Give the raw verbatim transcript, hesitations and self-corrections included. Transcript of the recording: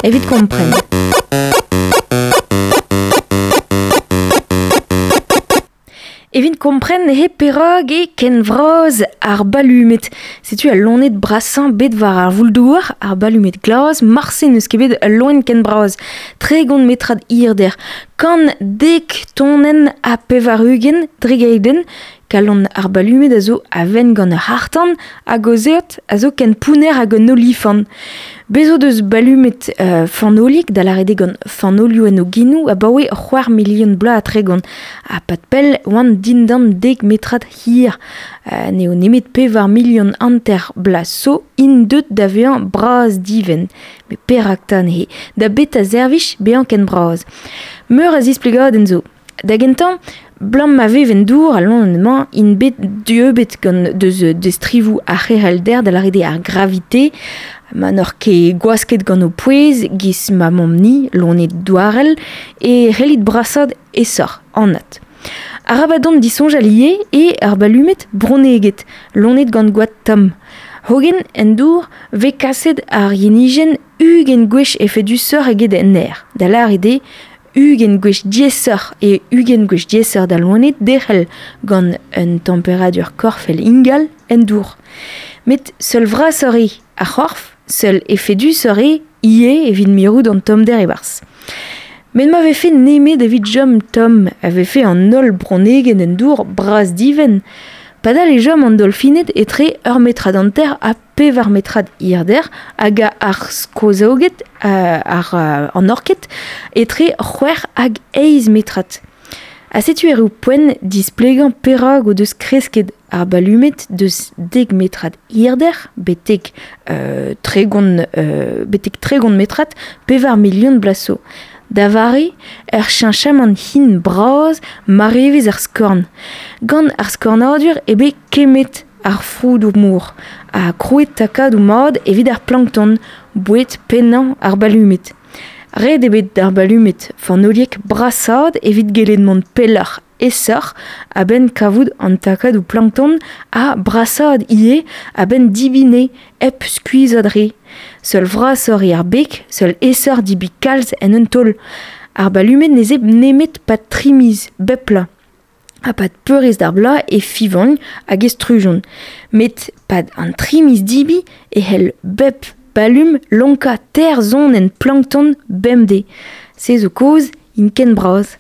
Evit kompren. Evit kompren he perag e ken vraz ar balumet. Setu al lonet brasañ bet war ar vouldouar, ar balumet glas, marse n'eus ket bet ul loen ken braz. Tregont metrad hirder, kant dek tonenn ha pevar-ugent dre kalon ar balumet a zo a-venn gant ur c'harr-tan hag o zeot a zo ken pounner hag un olifant. Bez o deus balumet euh, fanoliek da lâret eo gant fanolioù en o genoù abaoe c'hwec'h milion bloaz ha tregont. Ha pad pell oant dindan dek metrad hir. Euh, n'eo nemet pevar milion hanter bloaz zo int deut da vezañ bras divent. Met perak 'ta neuze? Da beta servij bezañ ken bras. Meur a zisplegadenn zo. Da gentañ, blam ma vev en dour al loened-mañ int bet dieubet gant deus destrivoù ar c'herelder da lâret eo ar gravite, ma n'oc'h ket gwasket gant ho pouez, giz ma mamm-ni, loened douarel, e c'hellit brasaat aesoc'h, anat. Arabat dont disoñjal ivez eo ar balumed bronneged, loened gant gwad tomm. Hogen en dour vez kaset ar yenijenn ugent gwech efedusoc'h eget en aer. Da lâret eo ugent gwech diaesoc'h e ugent gwech diaesoc'h da loened derc'hel gant un temperadur korfel ingal en dour. Met seul vrasoc'h eo ar c'horf, seul efedusoc'h eo ivez evit mirout an tommder e-barzh. Met ma vefe nemet evit chom tomm a vefe an holl bronneged en dour bras-divent. Padal e chom an dolfined etre ur metrad hanter ha pevar metrad hirder hag ar skozaoged ar an orked etre c'hwec'h hag eizh metrad. Ha setu erru poent displegañ perak o deus kresket ar balumed deus dek metrad hirder betek euh, tregont, euh, betek tregont metrad pevar milion bloaz zo. Da vare, ur cheñchamant hin bras marevezh ar skorn. Gant ar skornadur eo bet kemmet ar froudoù mor ha krouet takadoù mat evit ar plankton, boued pennañ ar balumed. Ret eo bet d'ar balumed fanoliek brasaat evit gellet mont pelloc'h aesoc'h a-benn kavout an takadoù plankton ha brasaat ivez a-benn debriñ hep skuizhañ re. Seul vrasoc'h eo ar beg, seul aesoc'h debriñ kalz en un taol. Ar balumed ne zebr nemet pad tri miz, bep bloaz. Ha pad peurrest ar bloaz e fiñvont hag e strujont. Met pad an tri miz debriñ e c'hell bep balum lonkañ teir zonenn plankton bemdez. Se zo kaoz int ken bras.